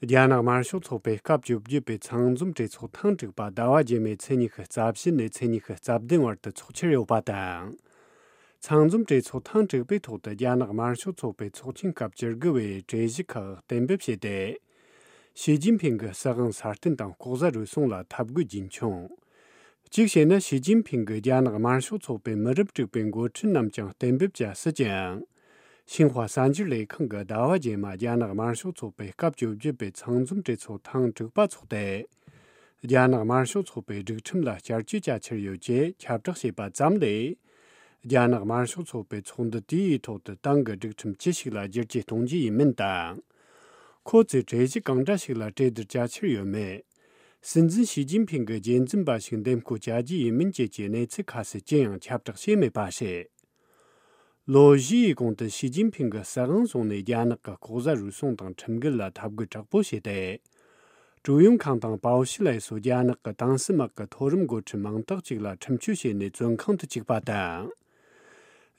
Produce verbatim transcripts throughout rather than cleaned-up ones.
རྒྱ་ནག་དམར་ཤོག་ཚོགས་པའི་སྐབས་བཅོ་བརྒྱད་པའི་ཚང་འཛོམས་གྲོས་ཚོགས་ཐེངས་དྲུག་པ་ཟླ་བ་རྗེས་མའི་ཚེས་ཉི་ཤུ་རྩ་བཞི་ནས་ཚེས་ཉི་ཤུ་རྩ་བདུན་བར་དུ་འཚོགས་འཆར་ཡོད་པ་དང་། ཚང་འཛོམས་གྲོས་ཚོགས་ཐེངས་དྲུག་པའི་ཐོག་ཏུ་རྒྱ་ནག་དམར་ཤོག་ཚོགས་པའི་ཚོགས་ཆེན་སྐབས་བཅུ་དགུ་བའི་གྲོས་གཞི་ཁག་གཏན་འབེབས་བྱས་ཏེ། ཞི་ཅིན་ཕིང་གི་སྲིད་དབང་སྲ་བརྟན་དང་ལྐོག་ཟ་རུལ་སུངས་ལ་འཐབ་རྒོལ་རྒྱུན་འཁྱོངས། གཅིག་བྱས་ན། ཞི་ཅིན་ཕིང་གིས་རྒྱ་ནག་དམར་ཤོག་ཚོགས་པའི་མི་རབས་དྲུག་པའི་འགོ་ཁྲིད་རྣམས་ཀྱང་གཏན་འབེབས་བྱ་སྲིད་ཀྱང་། ཤིན་ཧྭ་གསར་འགྱུར་ལས་ཁང་གིས་ཟླ་བ་རྗེས་མ་རྒྱ་ནག་དམར་ཤོག་ཚོགས་པའི་སྐབས་བཅོ་བརྒྱད་པའི་ཚང་འཛོམས་གྲོས་ཚོགས་ཐེངས་དྲུག་པ་འཚོགས་ཏེ། རྒྱ་ནག་དམར་ཤོག་ཚོགས་པའི་སྒྲིག་ཁྲིམས་ལ་བསྐྱར་བཅོས་བྱ་འཆར་ཡོད་ཅེས་ཁྱབ་བསྒྲགས་བྱས་པ་ཙམ་ལས། རྒྱ་ནག་དམར་ཤོག་ཚོགས་པའི་ཚོགས་འདུ་དེའི་ཐོག་ཏུ་ཏང་གི་སྒྲིག་ཁྲིམས་ཅི་ཞིག་ལ་བསྒྱུར་བཅོས་གཏོང་རྒྱུ་ཡིན་མིན་དང་། ཁོ་ཚོས་གྲོས་གཞི་གང་འདྲ་ཞིག་ལ་གྲོས་བསྡུར་བྱ་འཆར་ཡོད་མེད། སྲིད་འཛིན་ཞི་ཅིན་ཕིང་གི་རྗེས་འཛིན་པ་ཞིག་འདེམས་བསྐོ་བྱ་རྒྱུ་ཡིན་མིན་བཅས་ཀྱི་གནས་ཚུལ་ཁ་གསལ་ཅི་ཡང་ཁྱབ་བསྒྲགས་བྱས་མེད་པ་རེད། ལོ་བཞིའི་གོང་དུ་ཞི་ཅིན་ཕིང་གི་སྲིད་དབང་བཟུང་ནས་རྒྱ་ནག་གི་ལྐོག་ཟ་རུལ་སུངས་དང་ཁྲིམས་འགལ་ལ་འཐབ་རྒོལ་དྲག་པོ་བྱས་ཏེ། ཀྲུའུ་ཡོང་ཁང་དང་པའོ་ཞི་ལའེ་སོགས་རྒྱ་ནག་གི་ཏང་སྲིད་དམག་གི་མཐོ་རིམ་འགོ་ཁྲིད་མང་དག་ཅིག་ལ་ཁྲིམས་གཅོད་བྱས་ནས་བཙོན་ཁང་དུ་བཅུག་པ་དང་།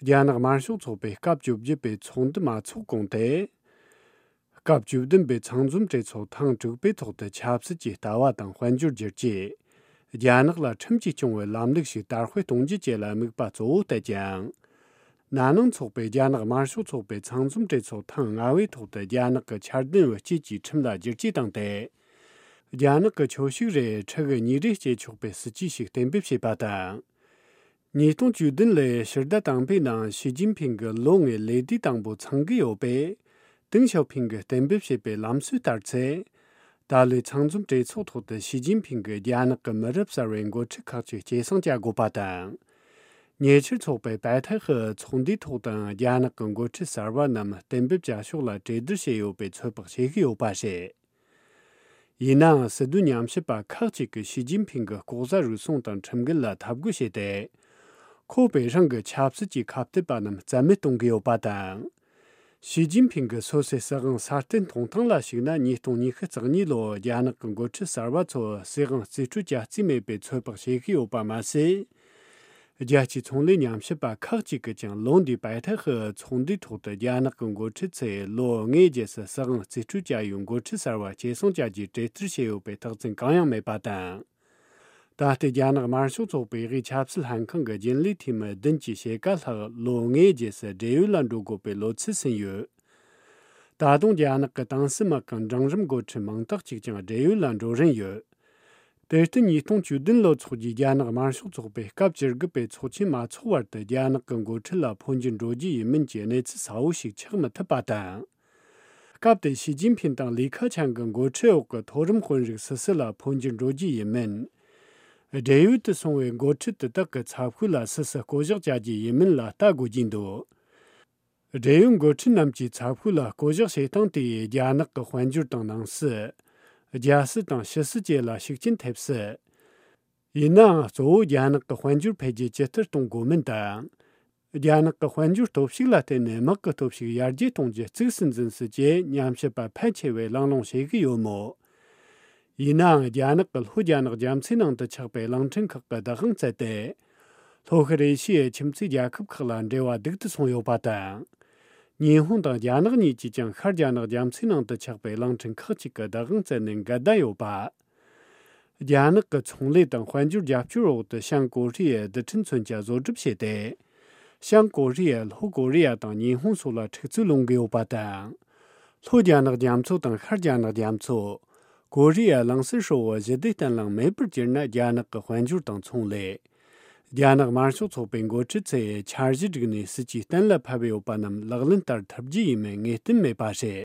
རྒྱ་ནག་དམར་ཤོག་ཚོགས་པའི་སྐབས་བཅོ་བརྒྱད་པའི་ཚོགས་འདུ་མ་འཚོགས་གོང་དུ། སྐབས་བཅུ་བདུན་པའི་ཚང་འཛོམས་གྲོས་ཚོགས་ཐེངས་དྲུག་པའི་ཐོག་ཏུ་ཆབ་སྲིད་ཀྱི་ལྟ་བ་དང་དཔལ་འབྱོར་བསྒྱུར་བཅོས། རྒྱ་ནག་ལ་ཁྲིམས་ཀྱིས་སྐྱོང་བའི་ལམ་ལུགས་ཤིག་དར་སྤེལ་གཏོང་རྒྱུ་བཅས་ལ་དམིགས་པ་གཙོ་བོ་གཏད་ཅིང་། ན་ནིང་འཚོགས་པའི་རྒྱ་ནག་དམར་ཤོག་ཚོགས་པའི་ཚང་འཛོམས་གྲོས་ཚོགས་ཐེངས་ལྔ་པའི་ཐོག་ཏུ་རྒྱ་ནག་གི་འཆར་ལྡན་བུ་སྐྱེས་ཀྱི་ཁྲིམས་ལ་བསྒྱུར་བཅོས་བཏང་སྟེ། རྒྱ་ནག་གི་ཁྱོ་ཤུག་རེ་ཕྲུ་གུ་གཉིས་རེ་སྐྱེ་ཆོག་པའི་སྲིད་ཇུས་ཤིག་གཏན་འབེབས་བྱས་པ་དང་། ཉིས་སྟོང་བཅུ་བདུན་ལོའི་ཕྱི་ཟླ་དང་པོའི་ནང་ཞི་ཅིན་ཕིང་གི་ལོ་ལྔའི་ལས་དུས་དང་པོ་ཚང་གི་ཡོད་པས། ཏེང་ཞའོ་ཕིང་གིས་གཏན་འབེབས་བྱས་པའི་ལམ་སྲོལ་ལྟར་ཚེ། ད་ལོའི་ཚང་འཛོམས་གྲོས་ཚོགས་ཐོག་ཏུ་ཞི་ཅིན་ཕིང་གིས་རྒྱ་ནག་གི་མི་རབས་གསར་བའི་འགོ་ཁྲིད་ཁག་ཅིག་སྐྱེད་སྲིང་བྱ་དགོས་པ་དང་། ཉེ་ཆར་འཚོགས་པའི་པའེ་ཐའེ་ཧི་ཚོགས་འདུའི་ཐོག་ཏུའང་རྒྱ་ནག་གི་འགོ་ཁྲིད་གསར་བ་རྣམས་གཏན་འབེབས་བྱ་ཕྱོགས་ལ་གྲོས་བསྡུར་བྱས་ཡོད་པའི་ཚོད་དཔག་བྱེད་ཀྱི་ཡོད་པ་རེད། ཡིན་ནའང་སྲིད་དོན་ཉམས་ཞིབ་པ་ཁག་ཅིག་གིས་ཞི་ཅིན་ཕིང་གིས་ལྐོག་ཟ་རུལ་སུངས་དང་ཁྲིམས་འགལ་ལ་འཐབ་རྒོལ་བྱས་ཏེ། ཁོ་པས་རང་གི་ཆབ་སྲིད་ཀྱི་ཁ་གཏད་པ་རྣམས་རྩ་མེད་གཏོང་གི་ཡོད་པ་དང་། ཞི་ཅིན་ཕིང་གིས་སོ་སོའི་སྲིད་དབང་སྲ་བརྟན་གཏོང་སྟངས་ལ་གཞིགས་ན། ཉིས་སྟོང་ཉི་ཤུ་རྩ་གཉིས་ལོར་རྒྱ་ནག་གི་འགོ་ཁྲིད་གསར་བ་ཚོར་སྲིད་དབང་རྩིས་སྤྲོད་བྱ་རྩིས་མེད་པའི་ཚོད་དཔག་བྱེད་ཀྱི་ཡོད་པ་མ་ཟད། རྒྱལ་སྤྱིའི་ཚོང་ལས་ཉམས་ཞིབ་པ་ཁག་ཅིག་གིས་ཀྱང་ལོ་འདིའི་པའེ་ཐའེ་ཧི་ཚོགས་འདུའི་ཐོག་ཏུ་རྒྱ་ནག་གི་འགོ་ཁྲིད་ཚོས་ལོ་ལྔའི་རྗེས་སུ་སྲིད་དབང་རྩིས་སྤྲོད་བྱ་ཡུལ་འགོ་ཁྲིད་གསར་བ་སྐྱེད་སྲིང་བྱ་རྒྱུའི་གྲོས་བསྡུར་བྱས་ཡོད་པའི་རྟགས་མཚན་གང་ཡང་མེད་པ་དང་། ད་ལྟའི་རྒྱ་ནག་དམར་ཤོག་ཚོགས་པའི་དབུས་ཆབ་སྲིད་ལྷན་ཁང་གི་རྒྱུན་ལས་འཐུས་མི་བདུན་གྱི་ཕྱེད་ཀ་ལྷག་ལོ་ལྔའི་རྗེས་སུ་བགྲེས་ཡོལ་ལ་འགྲོ་དགོས་པའི་ལོ་ཚད་ཟིན་ཡོད། ད་དུང་རྒྱ་ནག་གི་ཏང་སྲིད་དམག་གི་འབྲིང་རིམ་འགོ་ཁྲིད་མང་དག་ཅིག་ཀྱང་བགྲེས་ཡོལ་ལ་འགྲོ་རན་ཡོད། དེར་བརྟེན་ཉིས་སྟོང་བཅུ་བདུན་ལོར་འཚོགས་རྒྱུའི་རྒྱ་ནག་དམར་ཤོག་ཚོགས་པའི་སྐབས་བཅུ་དགུ་པའི་ཚོགས་ཆེན་མ་འཚོགས་བར་དུ་རྒྱ་ནག་གི་འགོ་ཁྲིད་ལ་འཕོ་འགྱུར་འགྲོ་རྒྱུ་ཡིན་མིན་གྱི་གནས་ཚུལ་གསལ་བོ་ཞིག་ཆགས་མི་ཐུབ་པ་དང་། སྐབས་དེར་ཞི་ཅིན་ཕིང་དང་ལི་ཁེ་ཆང་གི་འགོ་ཁྲིད་འོག་གི་མཐོ་རིམ་དཔོན་རིགས་སུ་སུ་ལ་འཕོ་འགྱུར་འགྲོ་རྒྱུ་ཡིན་མིན། བགྲེས་ཡོལ་དུ་སོང་བའི་འགོ་ཁྲིད་དེ་དག་གི་ཚབ་ཤོས་ལ་སུ་སུ་བསྐོ་གཞག་བྱ་རྒྱུ་ཡིན་མིན་ལ་ལྟ་དགོས་ཀྱི་འདུག་བགྲེས་ཡོལ་འགོ་ཁྲིད་རྣམས་ཀྱི་ཚབ་ཤོས་ལ་བསྐོ་གཞག་བྱེད་སྟངས་དེས་རྒྱ་ནག་གི་དཔལ་འབྱོར་དང་ནང་སྲིད། རྒྱལ་སྲིད་དང་ཕྱི་སྲིད་བཅས་ལ་ཤུགས་རྐྱེན་ཐེབས་སྲིད། ཡིན་ནའང་གཙོ་བོ་རྒྱ་ནག་གི་དཔལ་འབྱོར་འཕེལ་རྒྱས་ཇི་ལྟར་གཏོང་དགོས་མིན་དང་། རྒྱ་ནག་གི་དཔལ་འབྱོར་སྟོབས་ཤུགས་ལ་བརྟེན་ནས་དམག་གི་སྟོབས་ཤུགས་ཡར་རྒྱས་གཏོང་རྒྱུ་གཙིགས་སུ་འཛིན་སྲིད་ཅེས་ཉམས་ཞིབ་པ་ཕལ་ཆེ་བས་གླེང་སློང་བྱེད་ཀྱི་ཡོད་མོད། ཡིན་ནའང་རྒྱ་ནག་གི་ལྷོ་རྒྱ་ནག་རྒྱ་མཚོའི་ནང་དུ་ཆགས་པའི་གླིང་ཕྲན་ཁག་གི་བདག་དབང་བཙལ་ཏེ། ལྷོ་ཤར་ཨེ་ཤི་ཡའི་ཁྱིམ་མཚེས་རྒྱལ་ཁབ་ཁག་ལ་འབྲེལ་བ་སྡུག་ཏུ་སོང་ཡོད་པ་དང་། ཉི་ཧོང་དང་རྒྱ་ནག་གཉིས་ཀྱིས་ཀྱང་ཤར་རྒྱ་ནག་རྒྱ་མཚོའི་ནང་དུ་ཆགས་པའི་གླིང་ཕྲན་ཁག་ཅིག་གི་བདག་དབང་བཙལ་ནས་འགལ་ཟླ་ཡོད་པ། རྒྱ་ནག་གི་ཚོང་ལས་དང་དཔལ་འབྱོར་རྒྱབ་སྐྱོར་འོག་ཏུ་བྱང་ཀོ་རི་ཡའི་རྡུལ་ཕྲན་མཚོན་ཆ་བཟོ་སྒྲུབ་བྱས་ཏེ། བྱང་ཀོ་རི་ཡ། ལྷོ་ཀོ་རི་ཡ་དང་ཉི་ཧོང་སོགས་ལ་འཁྲུག་རྩོད་སློང་གི་ཡོད་པ་དང་། ལྷོ་རྒྱ་ནག་རྒྱ་མཚོ་དང་ཤར་རྒྱ་ནག་རྒྱ་མཚོ། ཀོ་རི་ཡ་གླིང་ཟུར་ཧྲིལ་བོ་ཞི་བདེ་བརྟན་ལྷིང་མེད་པར་གྱུར་ན་རྒྱ་ནག་གི་དཔལ་འབྱོར་དང་ཚོང་ལས། རྒྱ་ནག་དམར་ཤོག་ཚོགས་པའི་འགོ་ཁྲིད་ཚོས་འཆར་གཞི་བསྒྲིགས་ནས་སྲིད་ཇུས་གཏན་ལ་ཕབ་ཡོད་པ་རྣམས་ལག་ལེན་བསྟར་ཐུབ་རྒྱུ་ཡིན་མིན་ངེས་གཏན་མེད་པ་རེད།